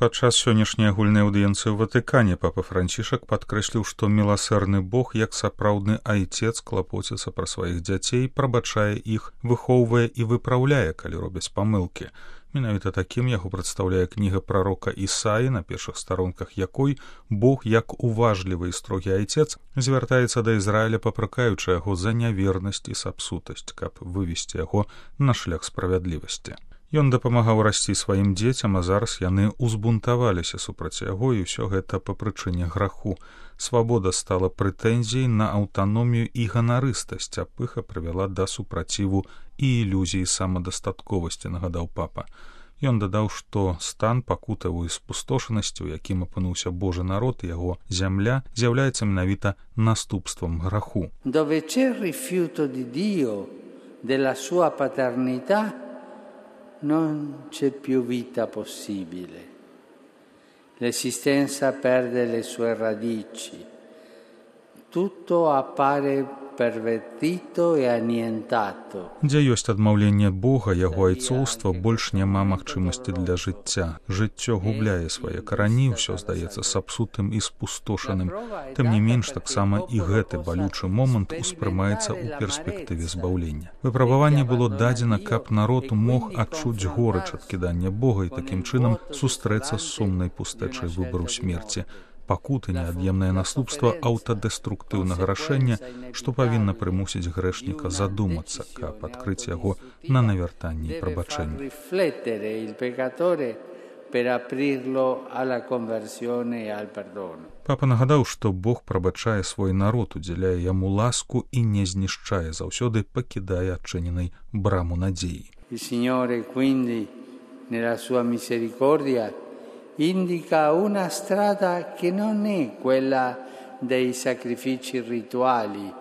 Падчас сённяшняй агульнай аўдыенцыі ў Ватыкане папа Францішак падкрэсліў, што міласэрны Бог, як сапраўдны айцец, клапоціцца пра сваіх дзяцей, прабачае іх, выхоўвае і выпраўляе, калі робяць памылкі. Менавіта такім яго прадстаўляе кніга прарока Ісаі, на першых старонках якой Бог, як уважлівы і строгі айцец, звяртаецца да Ізраіля, папракаючы яго за нявернасць і сапсутасць, каб вывесці яго на шлях справядлівасці. Ён дапамагаў расці сваім дзецям, а зараз яны ўзбунтаваліся супраць яго, і ўсё гэта па прычыне граху. Свабода стала прэтэнзіяй на аўтаномію і ганарыстасць, а пыха прывяла да супраціву і ілюзіі самадастатковасці, нагадаў папа. Ён дадаў, што стан пакутавай спустошанасці, у якім апынуўся Божы народ і яго зямля, з'яўляецца менавіта наступствам граху. Dove c'è il rifiuto di Dio, della sua paternità, non c'è più vita possibile. L'esistenza perde le sue radici. Tutto appare pervertito e annientato. Дзе ёсць адмаўленне Бога, яго айцоўства, больш няма магчымасці для жыцця. Жыццё губляе свае карані, ўсё здаецца сапсутым і спустошаным. Тым не менш, таксама і гэты балючы момант успрымаецца ў перспектыве збаўлення. Выпрабаванне было дадзена, каб народ мог адчуць горыч ад кідання Бога і такім чынам сустрэцца з сумнай пустэчай выбару смерці. Пакуты неад'емнае наступства аўтадэструктыўнага рашэння, што павінна прымусіць грэшніка задумацца, каб адкрыць яго на навяртанне і прабачэнне. Папа нагадаў, што Бог прабачае свой народ, удзяляе яму ласку і не знішчае, заўсёды пакідае адчыненай браму надзеі. Indica una strada che non è quella dei sacrifici rituali,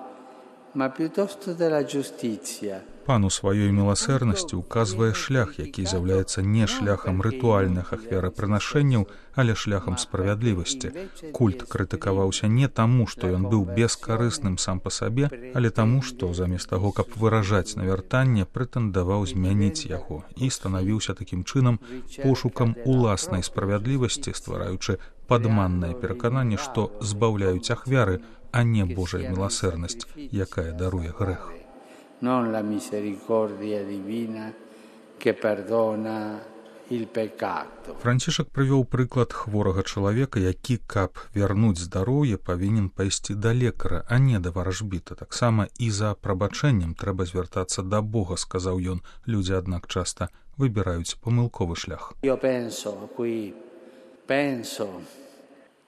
ma piuttosto della giustizia. Пан у сваёй міласэрнасці указвае шлях, які з'яўляецца не шляхам рытуальных ахвярапрынашэнняў, але шляхам справядлівасці. Культ крытыкаваўся не таму, што ён быў бескарысным сам па сабе, але таму, што замест таго, каб выражаць навяртанне, прэтэндаваў змяніць яго і станавіўся такім чынам пошукам уласнай справядлівасці, ствараючы падманнае перакананне, што збаўляюць ахвяры, а не Божая міласэрнасць, якая даруе грэх. Non la misericordia divina che perdona il peccato. Францішак прывёў прыклад хворага чалавека, які, каб вярнуць здароўе, павінен пайсці да лекара, а не да варажбіта. Таксама і за прабачэннем трэба звяртацца да Бога, сказаў ён. Людзі, аднак, часта выбіраюць памылковы шлях. Io penso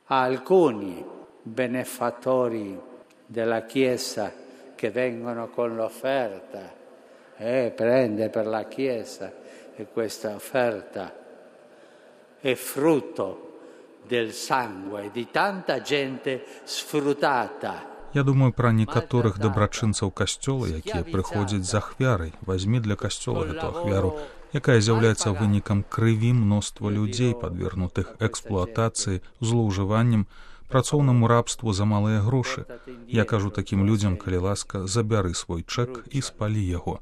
a alcuni benefattori della Chiesa che vengono con l'offerta prende per la Chiesa e questa offerta è frutto del sangue di tanta gente sfruttata. Я думаю пра некаторых дабрачынцаў касцёла, якія прыходзяць з ахвярай. Вазьмі для касцёла гэту ахвяру, якая з'яўляецца вынікам крыві мноства людзей, падвергнутых эксплуатацыі, злоўжываннем, працоўнаму рабству за малыя грошы. Я кажу такім людзям, калі ласка, забяры свой чэк і спалі яго.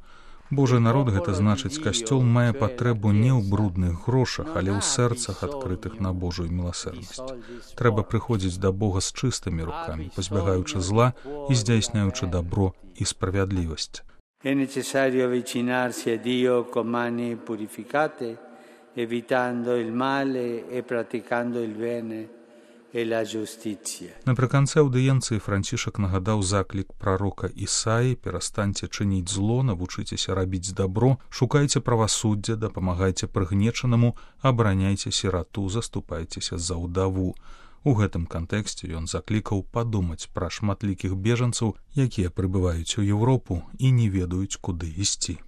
Божы народ, гэта значыць, касцёл мае патрэбу не ў брудных грошах, але ў сэрцах, адкрытых на Божую міласэрнасць. Трэба прыходзіць да Бога з чыстымі рукамі, пазбягаючы зла і здзяйсняючы дабро і справядлівасць. È necessario avvicinarsi a Dio con mani purificate, evitando il male e praticando il bene. Напрыканцы аўдыенцыі Францішак нагадаў заклік прарока Ісаі: перастаньце чыніць зло, навучыцеся рабіць дабро, шукайце правасуддзя, дапамагайце прыгнечанаму, абараняйце сірату, заступайцеся за ўдаву. У гэтым кантэксце ён заклікаў падумаць пра шматлікіх бежанцаў, якія прыбываюць у Еўропу і не ведаюць, куды ісці.